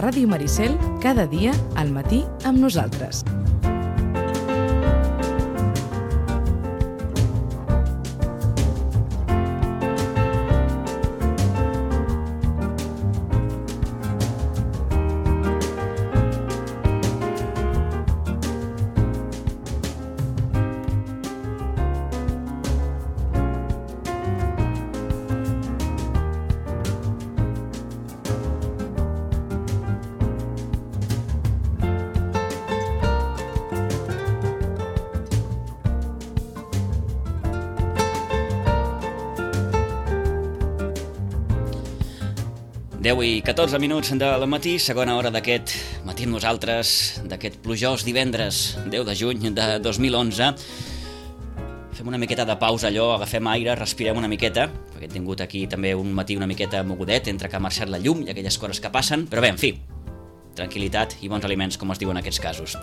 Ràdio Maricel, cada dia al matí amb nosaltres. I 14 minuts del matí, segona hora d'aquest matí amb nosaltres, d'aquest plujós divendres 10 de juny de 2011. Fem una miqueta de pausa allò, agafem aire, respirem una miqueta, perquè he tingut aquí també un matí una miqueta mogudet entre que ha marxat la llum i aquelles coses que passen, però bé, en fi, tranquil·litat i bons aliments, com es diu en aquests casos.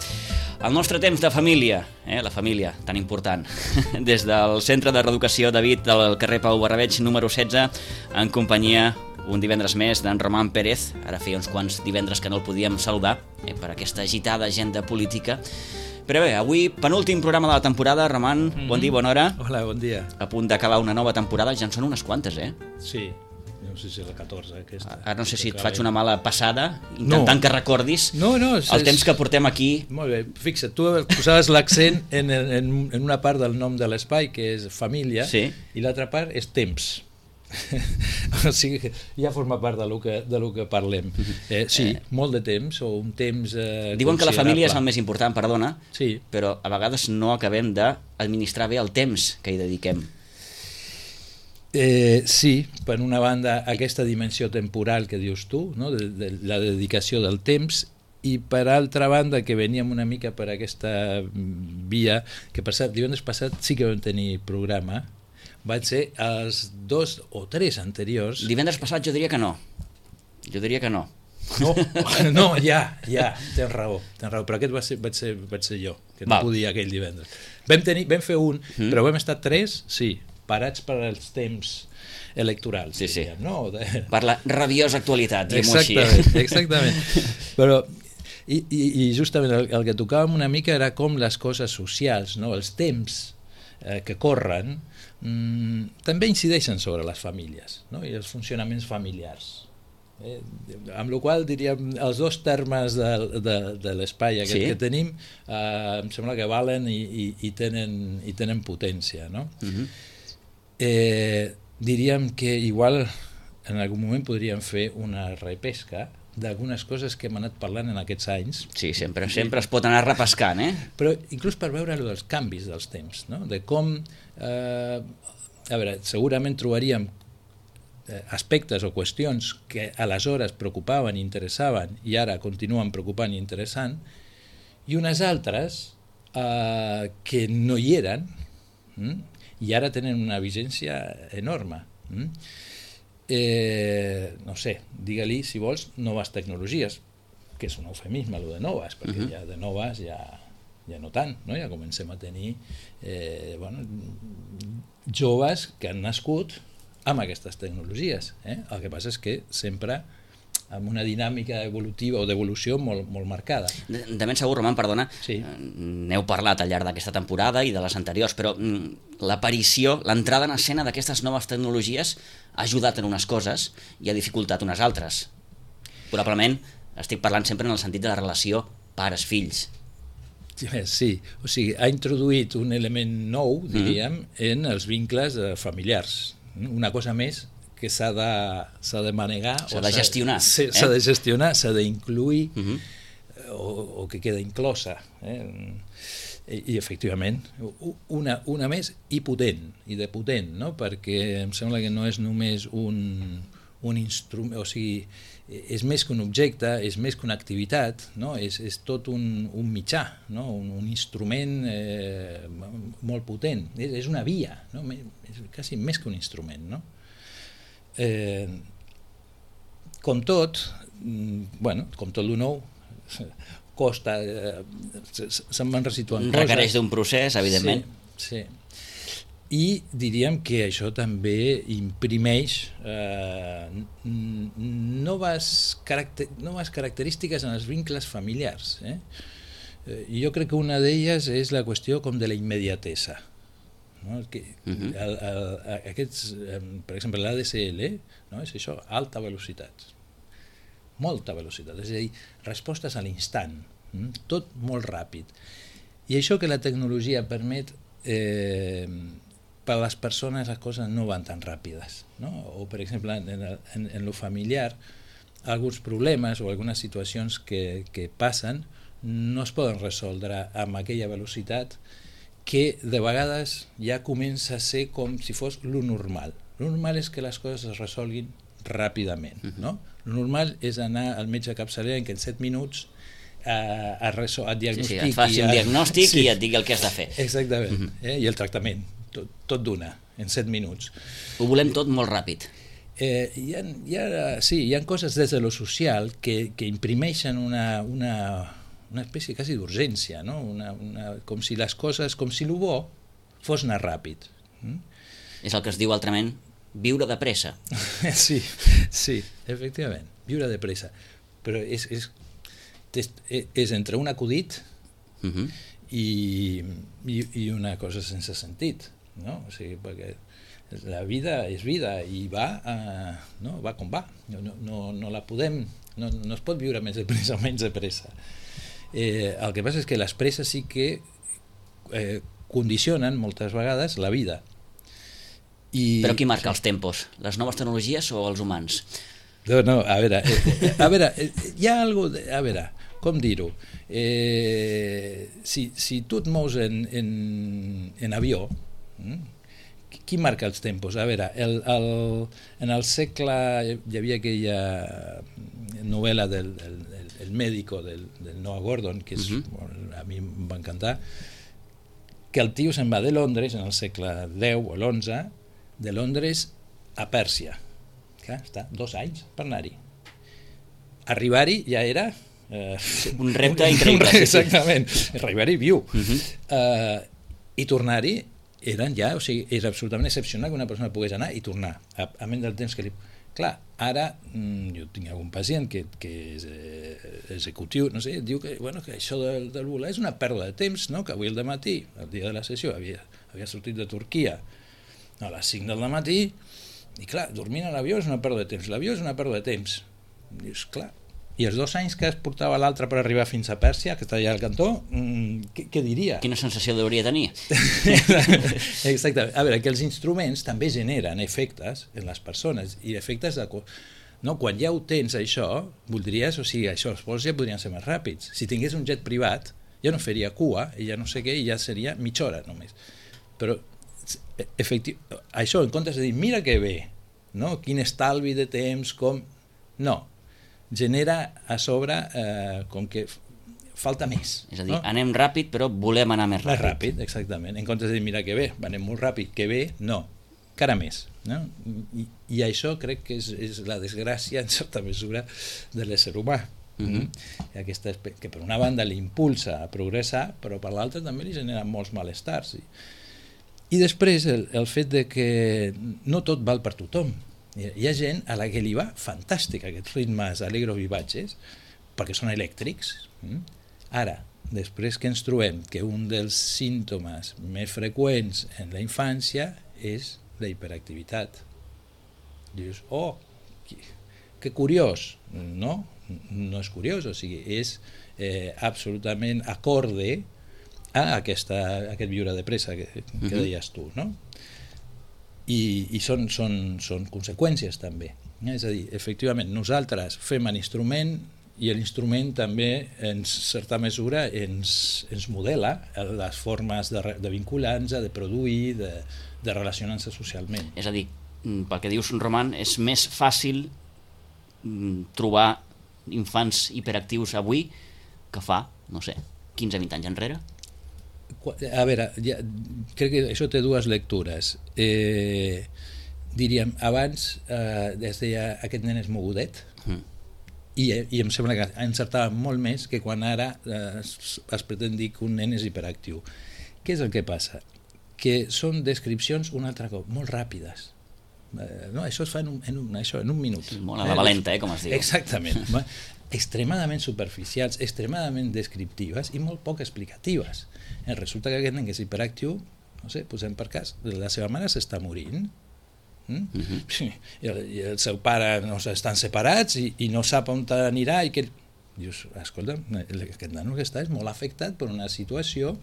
El nostre temps de família, la família, tan important, des del Centre de Reeducació David del carrer Pau Barrabeig, número 16, en companyia un divendres més d'en Roman Pérez. Ara feia uns quants divendres que no el podíem saludar per aquesta agitada agenda política. Però bé, avui penúltim programa de la temporada. Roman, bon dia, bona hora. Hola, bon dia. A punt d'acabar una nova temporada, ja en són unes quantes, Sí, no sé si és la 14 aquesta. Ara no sé si et faig una mala passada, intentant que recordis el temps que portem aquí. Molt bé, fixa't, tu posaves l'accent en una part del nom de l'espai, que és família, i l'altra part és temps. O sigui que ja forma part del que parlem. Sí, molt de temps, o un temps diuen que la família és el més important, perdona, sí, però a vegades no acabem d'administrar bé el temps que hi dediquem. Sí, per una banda aquesta dimensió temporal que dius tu, no? de la dedicació del temps, i per altra banda que veníem una mica per aquesta via, que divendres passat sí que vam tenir programa. Van ser els 2 o 3 anteriors. Divendres passat jo diria que no. No, ja, tens raó, però aquest vaig ser jo, que no podia aquell divendres. Vam fer un, però vam estar 3, sí, parats per als temps electorals. Sí. Diríem, no? Per la rabiosa actualitat, diguem-ho així. Exactament. Però, i justament el que tocàvem una mica era com les coses socials, no? Els temps que corren, també incideixen sobre les famílies, no? I els funcionaments familiars. Amb la qual diríem els dos termes de l'espai aquest que tenim em sembla que valen i tenen potència, no? Diríem que igual en algun moment podríem fer una repesca d'algunes coses que hem anat parlant en aquests anys. Sí, sempre es pot anar repescant, Però inclús per veure els canvis dels temps, no? De com, a veure, segurament trobaríem aspectes o qüestions que aleshores preocupaven i interessaven i ara continuen preocupant i interessant, i unes altres que no hi eren i ara tenen una vigència enorme. No sé, digue-li, si vols, noves tecnologies, que és un eufemisme, allò de noves, perquè ja de noves ja no tant, no? Ja comencem a tenir joves que han nascut amb aquestes tecnologies. El que passa és que sempre amb una dinàmica evolutiva o d'evolució molt marcada. De ben segur, Roman, perdona, n'heu parlat al llarg d'aquesta temporada i de les anteriors, però l'aparició, l'entrada en escena d'aquestes noves tecnologies ha ajudat en unes coses i ha dificultat unes altres. Probablement estic parlant sempre en el sentit de la relació pares-fills. Sí, o sigui, ha introduït un element nou, diríem, en els vincles familiars. Una cosa més que s'ha de manegar, s'ha de gestionar, s'ha d'incluir o que queda inclosa. I efectivament, una més i potent, no? Perquè em sembla que no és només un instrument, o sigui, és més que un objecte, és més que una activitat, no? És tot un mitjà, no? Un instrument molt potent, és una via, no? És quasi més que un instrument, no? Com tot el nou costa, se'n van resituant coses. Requereix d'un procés, evidentment. Sí. I diríem que això també imprimeix noves característiques en els vincles familiars. Jo crec que una d'elles és la qüestió com de la immediatesa. No? Aquests, per exemple, l'ADSL, no? És això, alta velocitat, molta velocitat, és a dir, respostes a l'instant, tot molt ràpid. I això que la tecnologia permet, per a les persones les coses no van tan ràpides, no? O per exemple en lo familiar alguns problemes o algunes situacions que passen no es poden resoldre amb aquella velocitat que de vegades ja comença a ser com si fos lo normal. Lo normal és que les coses es resolguin ràpidament, no? Lo normal és anar al metge capçalera en què en 7 minuts et diagnostiqui. Et faci un diagnòstic i et digui el que has de fer. Exactament, i el tractament, tot d'una, en 7 minuts. Ho volem tot molt ràpid. Hi ha coses des de lo social que imprimeixen una espècie quasi d'urgència, no? Com si les coses, com si el bo fos anar ràpid. És el que es diu altrament viure de pressa. Sí, efectivament, viure de pressa. Però és entre un acudit i una cosa sense sentit, no? O sigui, perquè la vida és vida i va com va. No la podem, no es pot viure més de pressa o menys de pressa. El que passa és que les presses sí que condicionen moltes vegades la vida. Però qui marca els tempos? Les noves tecnologies o els humans? No, a veure, hi ha alguna cosa... A veure, com dir-ho? Si tu et mous en avió, qui marca els tempos? A veure, en el segle hi havia aquella novel·la del Médico del Noah Gordon, que a mi em va encantar, que el tio se'n va de Londres en el segle X o l'XI, de Londres a Pèrsia. Clar, està 2 anys per anar-hi. Arribar-hi ja era... un repte increïble. Exactament, arribar-hi viu. I tornar-hi era absolutament excepcional que una persona pogués anar i tornar, a menys del temps que li... Clar, ara jo tinc algun pacient que és executiu, no sé, diu que això del volar és una pèrdua de temps, no? Que avui al dematí, el dia de la sessió, havia sortit de Turquia a les 5 del matí i clar, dormint a l'avió és una pèrdua de temps, l'avió és una pèrdua de temps. Dius, clar, i els 2 anys que es portava l'altre per arribar fins a Pèrsia, que està allà al cantó, què diria? Quina sensació hauria de tenir? Exactament. A veure, que els instruments també generen efectes en les persones, i efectes de... No, quan ja ho tens, això, voldries, o sigui, això, els vols ja podrien ser més ràpids. Si tingués un jet privat, ja no faria cua, i ja no sé què, i ja seria mitja hora només. Però, això, en comptes de dir, mira que bé, no? Quin estalvi de temps, com... No, genera a sobre com que falta més. És a dir, anem ràpid però volem anar més ràpid. Més ràpid, exactament. En comptes de dir, mira que bé, anem molt ràpid, que bé, no, encara més. No? I això crec que és la desgràcia, en certa mesura, de l'ésser humà. Aquesta, que per una banda l'impulsa a progressar, però per l'altra també li genera molts malestars. I després el fet de que no tot val per tothom. Hi ha gent a la que li va fantàstic aquests ritmes alegros vivatges perquè són elèctrics. Ara, després que ens trobem que un dels símptomes més freqüents en la infància és la hiperactivitat. Dius, oh, que curiós. No és curiós, o sigui, és absolutament acorde a aquest viure de pressa que deies tu, no? I són conseqüències també. És a dir, efectivament, nosaltres fem l'instrument i l'instrument també, en certa mesura, ens modela les formes de vincular-nos, de produir, de relacionar-nos socialment. És a dir, pel que dius, Roman, és més fàcil trobar infants hiperactius avui que fa, no sé, 15-20 anys enrere? A veure, crec que això té 2 lectures. Diríem, abans es deia aquest nen és mogudet, i em sembla que encertava molt més que quan ara es pretén dir que un nen és hiperactiu. Què és el que passa? que són descripcions, un altre cop, molt ràpides. No, això es fa en un minut. Molt a la valenta, com es diu. Exactament. Extremadament superficials, extremadament descriptives i molt poc explicatives. Resulta que aquest nen que és hiperactiu, no sé, posem per cas, la seva mare s'està morint, i el seu pare no estan separats i no sap on anirà i que... Dius, escolta, aquest nano que està és molt afectat per una situació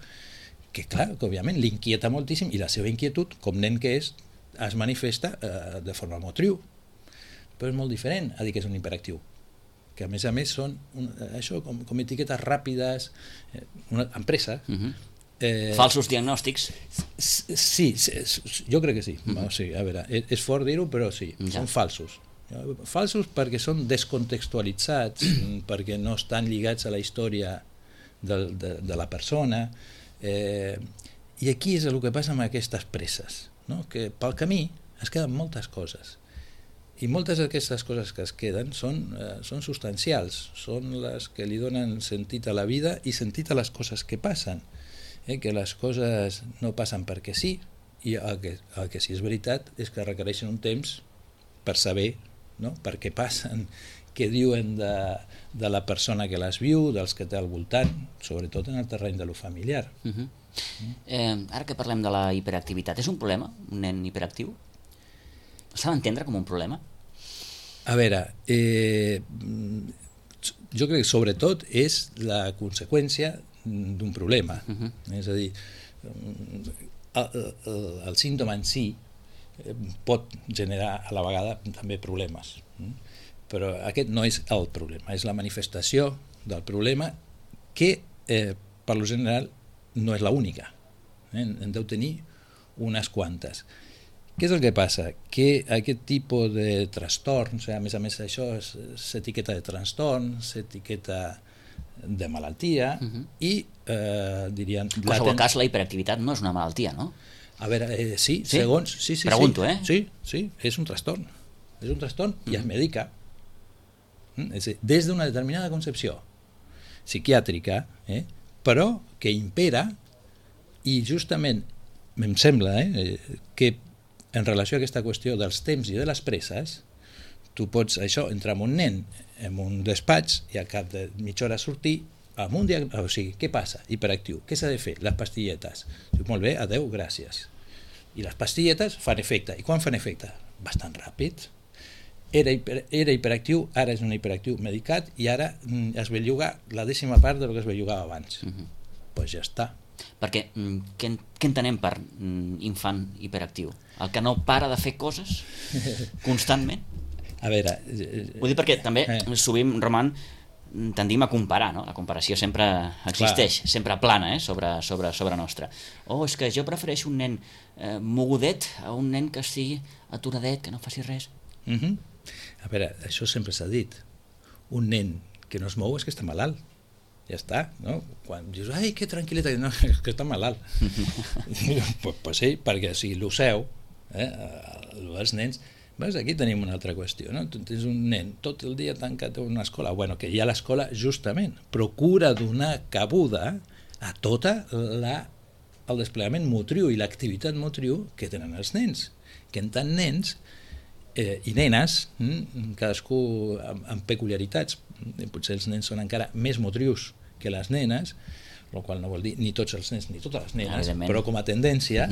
que, clar, que òbviament l'inquieta moltíssim i la seva inquietud, com nen que és, es manifesta de forma motriu. Però és molt diferent a dir que és un hiperactiu, que a més són això com etiquetes ràpides, empresa. Falsos diagnòstics? Sí, jo crec que sí. O sigui, a veure, és fort dir-ho, però sí, són falsos. Falsos perquè són descontextualitzats, perquè no estan lligats a la història de la persona, i aquí és el que passa amb aquestes presses, no? Que pel camí es queden moltes coses, i moltes d'aquestes coses que es queden són substancials, són les que li donen sentit a la vida i sentit a les coses que passen, que les coses no passen perquè sí, i el que sí és veritat és que requereixen un temps per saber, no? Per què passen, què diuen de la persona que les viu, dels que té al voltant, sobretot en el terreny de lo familiar. Ara que parlem de la hiperactivitat, és un problema, un nen hiperactiu? S'ha d'entendre com un problema? A veure, jo crec que sobretot és la conseqüència d'un problema. És a dir, el símptoma en si pot generar a la vegada també problemes, però aquest no és el problema, és la manifestació del problema que per lo general no és l'única, en deu tenir unes quantes. Què és el que passa? Que aquest tipus de trastorns, a més això s'etiqueta de trastorn, s'etiqueta de malaltia i diríem... En qualsevol cas, la hiperactivitat no és una malaltia, no? A veure, sí, segons... Sí, pregunto, Sí, és un trastorn. És un trastorn i es medica. Des d'una determinada concepció psiquiàtrica, però que impera, i justament em sembla que en relació a aquesta qüestió dels temps i de les presses, tu pots entrar amb un nen en un despatx i al cap de mitja hora sortir amb un diagnòstic, o sigui, què passa? Hiperactiu. Què s'ha de fer? Les pastilletes. Dic, molt bé, adeu, gràcies. I les pastilletes fan efecte. I quan fan efecte? Bastant ràpid. Era hiperactiu, ara és un hiperactiu medicat i ara es belluga la 10ª part del que es bellugava abans. Doncs ja està. Perquè què entenem per infant hiperactiu? El que no para de fer coses constantment? A veure... Ho dic perquè també sovint, Roman, tendim a comparar, no? La comparació sempre existeix, sempre plana sobre nostra. És que jo prefereixo un nen mogudet a un nen que estigui aturadet, que no faci res. A veure, això sempre s'ha dit. Un nen que no es mou és que està malalt. Ja està, no? Quan dius, ai, que tranquil·litat, no, és que està malalt. Pues sí, perquè si l'oceu, els nens... Veus, aquí tenim una altra qüestió, no? Tu tens un nen tot el dia tancat en una escola, que ja l'escola justament procura donar cabuda a tot el desplegament motriu i l'activitat motriu que tenen els nens, que en tant nens i nenes, cadascú amb peculiaritats, potser els nens són encara més motrius que les nenes, el qual no vol dir ni tots els nens ni totes les nenes, però com a tendència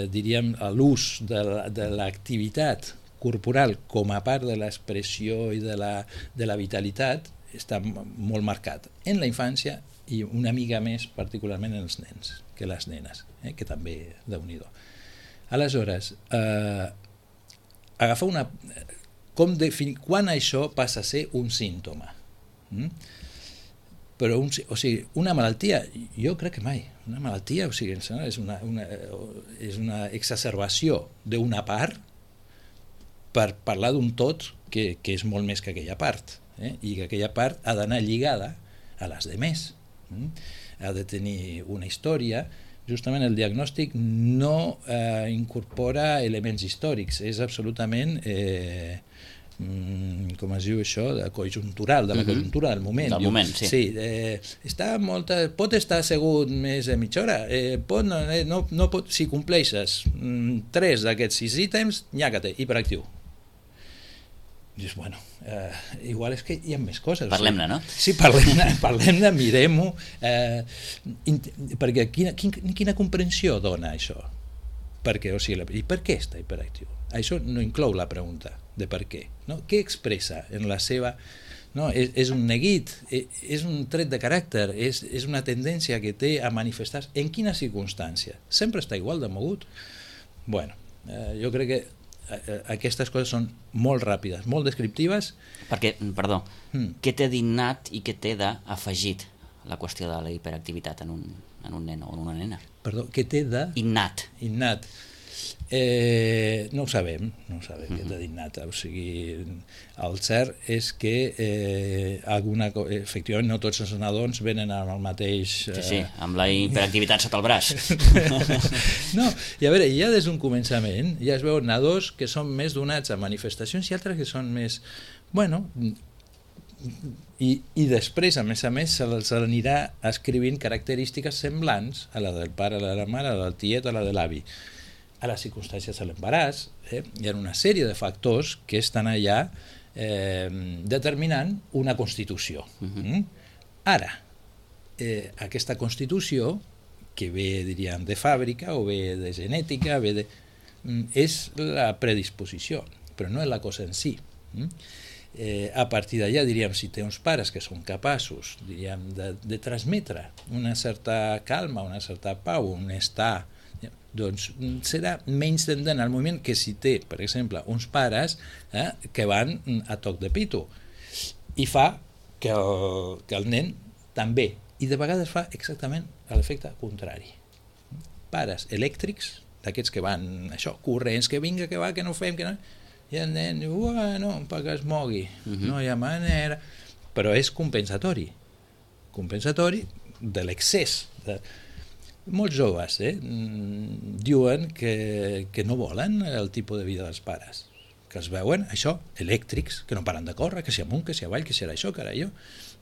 diríem l'ús de l'activitat corporal com a part de l'expressió i de la vitalitat està molt marcat en la infància i una mica més particularment en els nens que les nenes, que també Déu-n'hi-do. Aleshores, agafar quan això passa a ser un símptoma? Però una malaltia, jo crec que mai. Una malaltia, és una exacerbació d'una part per parlar d'un tot que és molt més que aquella part, i que aquella part ha d'anar lligada a les demés. Ha de tenir una història. Justament el diagnòstic no incorpora elements històrics, és absolutament com es diu això, de conjuntural, de la conjuntura del moment. Del moment, sí. Sí, pot estar assegut més de mitja hora, no pot, si compleixes 3 d'aquests 6 ítems, nyàcate, hiperactiu. Dius, bueno, igual és que hi ha més coses. Parlem-ne, no? Sí, parlem-ne, mirem-ho, perquè quina comprensió dona això? Perquè, o sigui, i per què està hiperactiu? Això no inclou la pregunta de per què. No? Què expressa en la seva... No? És un neguit, és un tret de caràcter, és una tendència que té a manifestar-se. En quina circumstància? Sempre està igual de mogut? Bueno, jo crec que aquestes coses són molt ràpides, molt descriptives. Perquè, perdó, què té d'innat i què té d'afegit la qüestió de la hiperactivitat en un nen o en una nena? Perdó, què té de... Innat. Innat. No ho sabem què té d'innat. O sigui, el cert és que efectivament no tots els nadons venen amb el mateix... Sí, amb la hiperactivitat sota el braç. No, i a veure, ja des d'un començament ja es veuen nadons que són més donats a manifestacions i altres que són més... Bueno, i després, a més, se'ls anirà escrivint característiques semblants a la del pare, a la de la mare, a la del tiet, a la de l'avi. A les circumstàncies de l'embaràs, hi ha una sèrie de factors que estan allà determinant una constitució. Ara, aquesta constitució, que ve, diríem, de fàbrica o ve de genètica, és la predisposició, però no és la cosa en si. A partir d'allà, diríem, si té uns pares que són capaços, diríem, de transmetre una certa calma, una certa pau, un estar, doncs serà menys tendent al moviment que si té, per exemple, uns pares que van a toc de pito, i fa que el nen també, i de vegades fa exactament l'efecte contrari. Pares elèctrics, d'aquests que van, això, corrents, que vinga, que va, que no fem, que no... I el nen diu, bueno, perquè es mogui, no hi ha manera, però és compensatori de l'excés. Molts joves diuen que no volen el tipus de vida dels pares, que es veuen, això, elèctrics, que no paren de córrer, que si amunt, que si avall, que si era això, que era allò.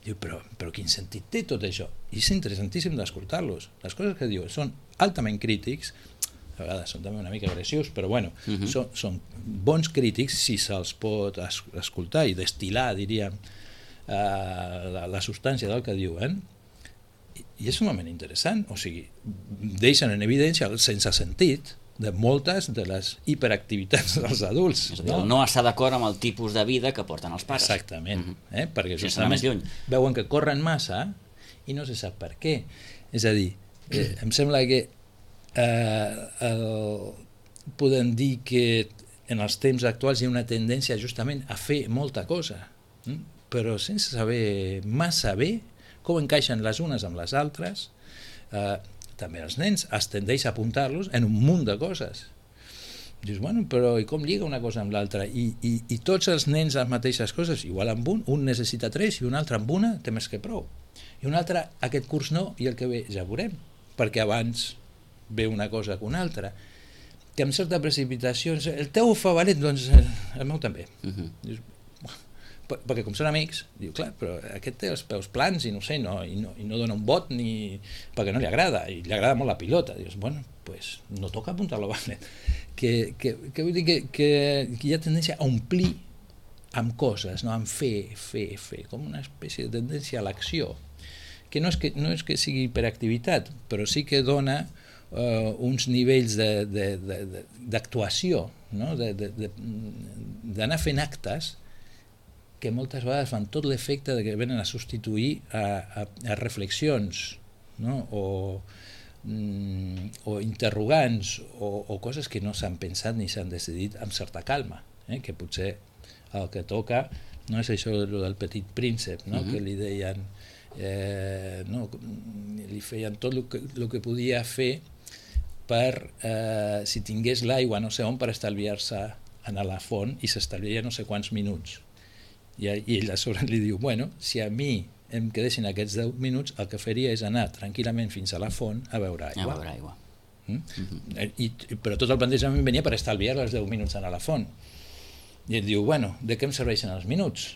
Diu, però quin sentit té tot això? I és interessantíssim d'escoltar-los. Les coses que diuen són altament crítics, a vegades són també una mica agressius, però bueno, són bons crítics si se'ls pot escoltar i destil·lar, diríem, la substància del que diuen, i és un moment interessant, o sigui, deixen en evidència el sense sentit de moltes de les hiperactivitats dels adults. És a dir, no està d'acord amb el tipus de vida que porten els pares. Exactament, perquè justament veuen que corren massa i no se sap per què. És a dir, em sembla que podem dir que en els temps actuals hi ha una tendència justament a fer molta cosa, però sense saber massa bé com encaixen les unes amb les altres. També els nens es tendeix a apuntar-los en un munt de coses. Dius, bueno, però i com lliga una cosa amb l'altra? I tots els nens les mateixes coses, igual amb un necessita 3 i un altre amb una té més que prou. I un altre, aquest curs no, i el que ve ja veurem, perquè abans ve una cosa que una altra, que amb certa precipitació, el teu ho fa valent, doncs el meu també. Dius, perquè com són amics, diu, clar, però aquest té els peus plans i no sé, i no dona un vot perquè no li agrada, i li agrada molt la pilota. Dius, bueno, pues no toca apuntar-lo valent. Que vull dir que hi ha tendència a omplir amb coses, no? Amb fer, com una espècie de tendència a l'acció, que no és que sigui hiperactivitat, però sí que dona uns nivells d'actuació, no? D'anar fent actes que moltes vegades fan tot l'efecte de que venen a substituir a reflexions, no? o interrogants o coses que no s'han pensat ni s'han decidit amb certa calma, que potser el que toca no és això del petit príncep, no? Que li deien li feien tot el que podia fer per, si tingués l'aigua no sé on, per estalviar-se anar a la font, i s'estalviaria no sé quants minuts. I ell a sobre li diu, bueno, si a mi em quedessin aquests 10 minuts, el que faria és anar tranquil·lament fins a la font a beure aigua. Però tot el plantejament venia per estalviar els 10 minuts anar a la font. I ell diu, bueno, de què em serveixen els minuts?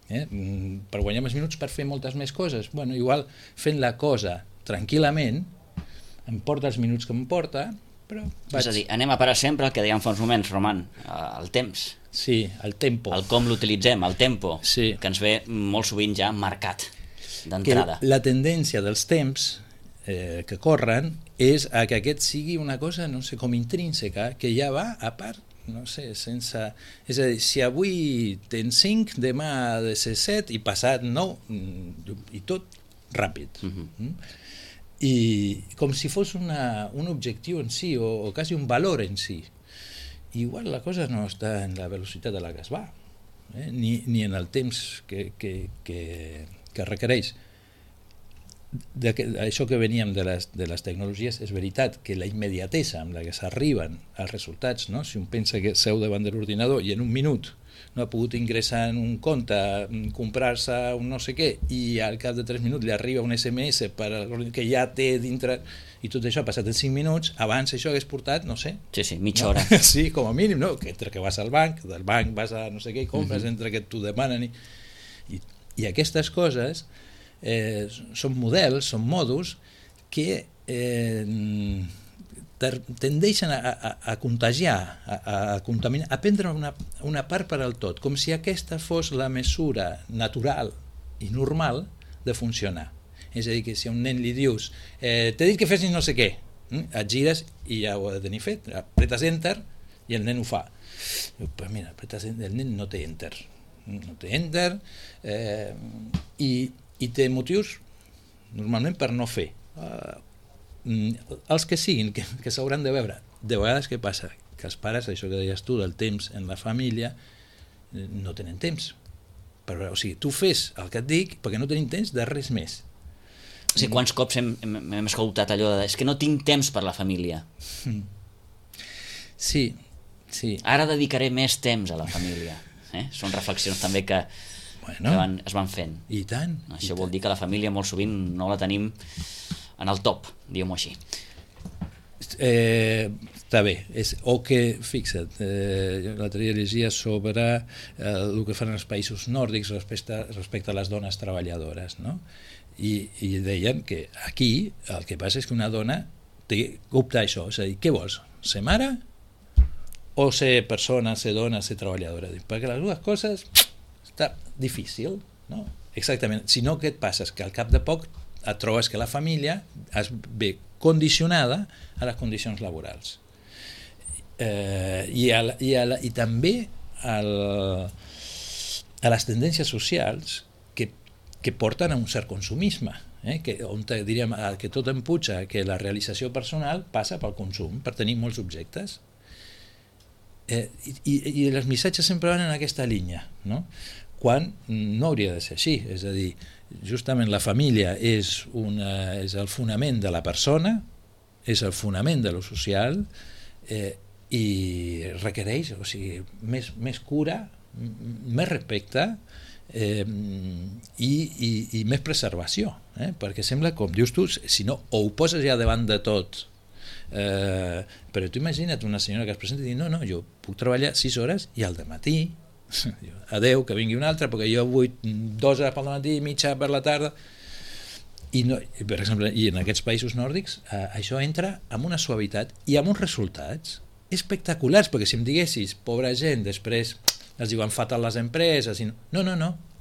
Per guanyar més minuts per fer moltes més coses. Bueno, igual fent la cosa tranquil·lament em porta els minuts que em porta, però vaig... És a dir, anem a parar sempre el que dèiem fa uns moments, Roman, el temps. Sí, el tempo. El com l'utilitzem, el tempo, sí. Que ens ve molt sovint ja marcat d'entrada. La tendència dels temps que corren és a que aquest sigui una cosa, no sé, com intrínseca, que ja va a part, no sé, sense... És a dir, si avui tens 5, demà ha de ser 7 i passat 9, i tot ràpid. I com si fos un objectiu en si, o quasi un valor en si. Igual la cosa no està en la velocitat a la que es va, ni en el temps que requereix. Això que veníem de les tecnologies, és veritat que la immediatesa amb la que s'arriben als resultats, no? Si un pensa que seu davant de l'ordinador i en un minut no ha pogut ingressar en un compte, comprar-se un no sé què, i al cap de 3 minuts li arriba un SMS que ja té dintre, i tot això ha passat en 5 minuts, abans això hagués portat, no sé... Sí, mitja hora. Sí, com a mínim, no? Que entre que vas al banc, del banc vas a no sé què i compres, entre que t'ho demanen i aquestes coses són models, són modus que tendeixen a contagiar, a contaminar, a prendre una part per al tot, com si aquesta fos la mesura natural i normal de funcionar. És a dir, que si a un nen li dius t'he dit que fessis no sé què, et gires i ja ho ha de tenir fet, apretes enter i el nen ho fa. Però mira, el nen no té enter, i té motius normalment per no fer. Els que siguin, que s'hauran de veure. De vegades què passa? Que els pares, això que deies tu del temps en la família, no tenen temps. Però, o sigui, tu fes el que et dic perquè no tenim temps de res més. O sigui, quants cops hem escoltat allò de és que no tinc temps per la família. Sí. Ara dedicaré més temps a la família. Són reflexions també que es van fent. I tant. Això vol dir que la família molt sovint no la tenim en el top, diguem-ho així. Està bé. O que, fixa't, l'altre dia llegia sobre el que fan els països nòrdics respecte a les dones treballadores, no? I deien que aquí el que passa és que una dona té que optar això, és a dir, què vols? Ser mare o ser persona, ser dona, ser treballadora? Perquè les dues coses està difícil, no? Exactament. Si no, què et passa? És que al cap de poc et trobes que la família es ve condicionada a les condicions laborals. I també a les tendències socials que porten a un cert consumisme, on diríem que tot empuja que la realització personal passa pel consum, per tenir molts objectes. I els missatges sempre van en aquesta línia, no? Quan no hauria de ser així, és a dir, justament la família és el fonament de la persona, és el fonament de lo social, i requereix, o sigui, més cura, més respecte i més preservació, perquè sembla, com dius tu, si no, o ho poses ja davant de tot, però tu imagina't una senyora que es presenta i diu, no, jo puc treballar 6 hores i al dematí adeu, que vingui un altre, perquè jo vull 2 hores pel matí i mitja per la tarda. Per exemple, i en aquests països nòrdics això entra amb una suavitat i amb uns resultats espectaculars, perquè si em diguessis, pobra gent, després es diuen fatal les empreses, no,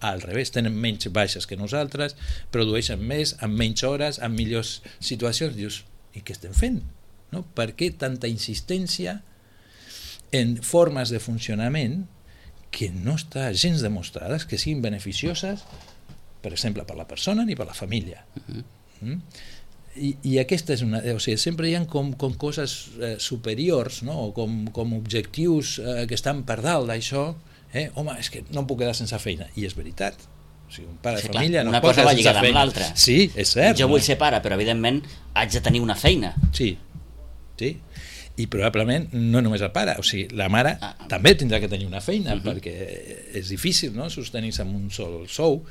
al revés, tenen menys baixes que nosaltres, produeixen més, amb menys hores, amb millors situacions. Dius, i què estem fent? No? Per què tanta insistència en formes de funcionament que no està gens demostrades que siguin beneficioses, per exemple, per la persona ni per la família. I aquesta és una... O sigui, sempre hi ha com coses superiors, no? O com objectius que estan per dalt d'això. Home, és que no em puc quedar sense feina. I és veritat. O sigui, un pare de família no pot quedar sense feina. Una cosa va lligada amb l'altra. Sí, és cert. Jo vull ser pare, però evidentment haig de tenir una feina. Sí. I probablement no només el pare, o sigui, la mare també tindrà que tenir una feina, perquè és difícil, no?, sostenir-se amb un sol sou,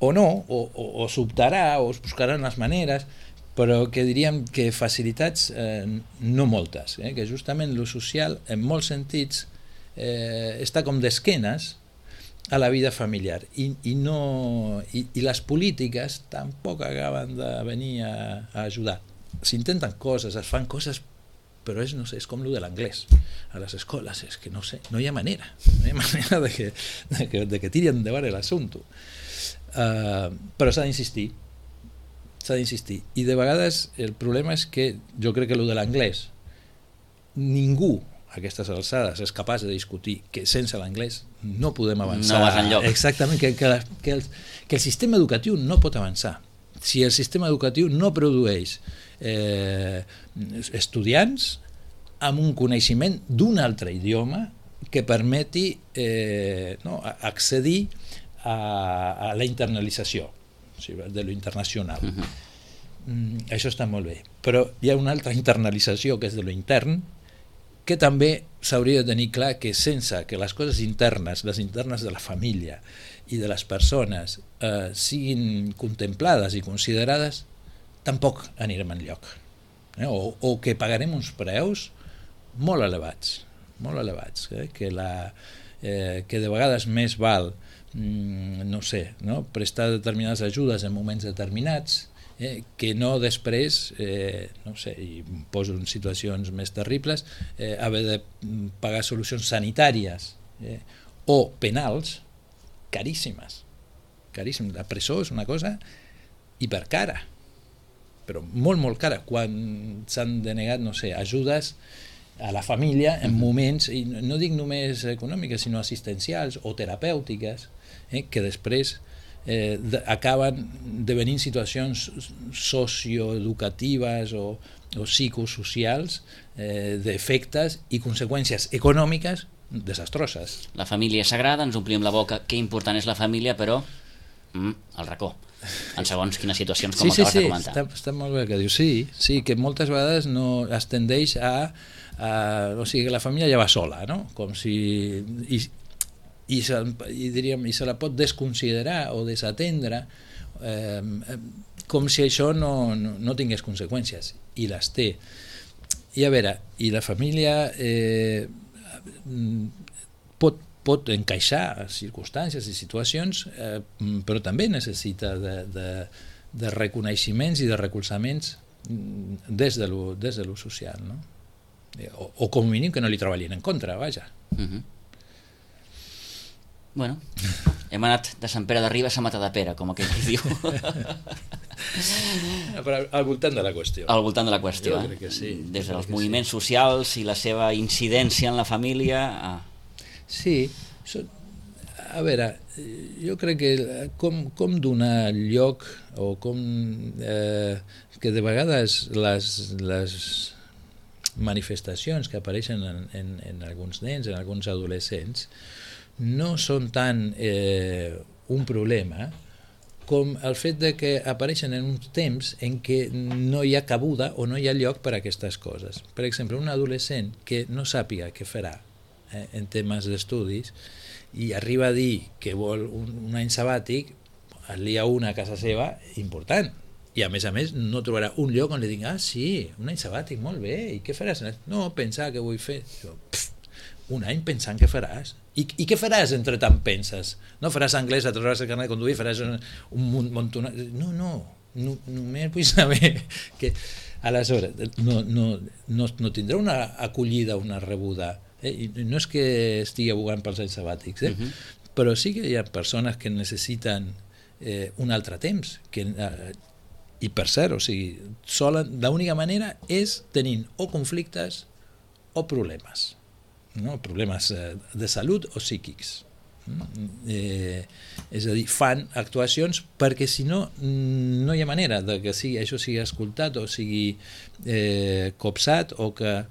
o no, o s'optarà, o es buscaran les maneres, però que diríem que facilitats no moltes, que justament lo social, en molts sentits, està com d'esquenes a la vida familiar i les polítiques tampoc acaben de venir a ajudar. S'intenten coses, es fan coses, però és com lo de l'anglès a les escoles, és que no sé, no hi ha manera de que tiri endavant l'assumpte. Però s'ha d'insistir, i de vegades el problema és que jo crec que lo de l'anglès ningú a aquestes alçades és capaç de discutir que sense l'anglès no podem avançar. No vas enlloc. Exactament, que el sistema educatiu no pot avançar. Si el sistema educatiu no produeix estudiants amb un coneixement d'un altre idioma que permeti accedir a la internalització de lo internacional. Això està molt bé. Però hi ha una altra internalització que és de lo intern, que també s'hauria de tenir clar que sense que les coses internes, les internes de la família i de les persones siguin contemplades i considerades, tampoc anirem enlloc. O que pagarem uns preus molt elevats, que de vegades més val prestar determinades ajudes en moments determinats, que no després, i poso en situacions més terribles, haver de pagar solucions sanitàries o penals caríssimes. La presó és una cosa hipercara, però molt cara, quan s'han denegat ajudes a la família en moments, i no dic només econòmiques, sinó assistencials o terapèutiques, que després acaben devenint situacions socioeducatives o psicosocials d'efectes i conseqüències econòmiques desastroses. La família és sagrada, ens omplim la boca, que important és la família, però el racó, en segons quines situacions, com acabes de comentar. Està molt bé el que dius. Sí, que moltes vegades no es tendeix o sigui, que la família ja va sola, no? Com si... I se la pot desconsiderar o desatendre com si això no tingués conseqüències, i les té. I a veure, i la família pot encaixar circumstàncies i situacions, però també necessita de reconeixements i de recolzaments des de lo social, no? O com a mínim que no li treballin en contra, vaja. Bueno, hem anat de Sant Pere de Ribes a Matadepera, com aquell que diu. Però al voltant de la qüestió. Al voltant de la qüestió. Jo crec que sí. Des dels moviments socials i la seva incidència en la família. Sí, a veure, jo crec que com donar lloc o com que de vegades les manifestacions que apareixen en alguns nens, en alguns adolescents, no són tant un problema com el fet de que apareixen en uns temps en què no hi ha cabuda o no hi ha lloc per a aquestes coses. Per exemple, un adolescent que no sàpiga què farà en temes d'estudis i arriba a dir que vol un any sabàtic, es lia una a casa seva important. I a més no trobarà un lloc on li digui sí, un any sabàtic, molt bé, i què faràs? No, pensar què vull fer. Un any pensant què faràs. I què faràs entre tant penses? No faràs anglès, et trauràs el carnet de conduir, faràs un munt... No, només vull saber que aleshores no tindrà una acollida, una rebuda. I no és que estigui abogant pels anys sabàtics, però sí que hi ha persones que necessiten un altre temps, i per cert, l'única manera és tenint o conflictes o problemes. Problemes de salut o psíquics. És a dir, fan actuacions perquè si no hi ha manera de que això sigui escoltat o sigui copsat o que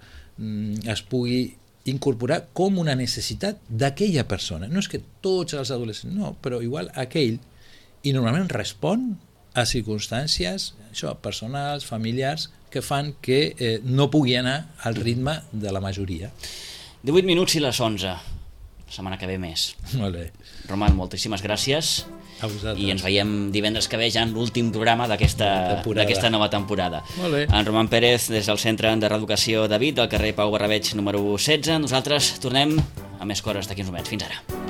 es pugui incorporar com una necessitat d'aquella persona. No és que tots els adolescents, no, però igual aquell, i normalment respon a circumstàncies personals, familiars, que fan que no pugui anar al ritme de la majoria. 18 minuts i les 11. La setmana que ve més. Molt bé. Roman, moltíssimes gràcies. A vosaltres. I ens veiem divendres que ve ja en l'últim programa d'aquesta nova temporada. Molt bé. En Roman Pérez, des del Centre de Reeducació David, del carrer Pau Barrabeig número 16. Nosaltres tornem a més coses d'aquí uns moments. Fins ara.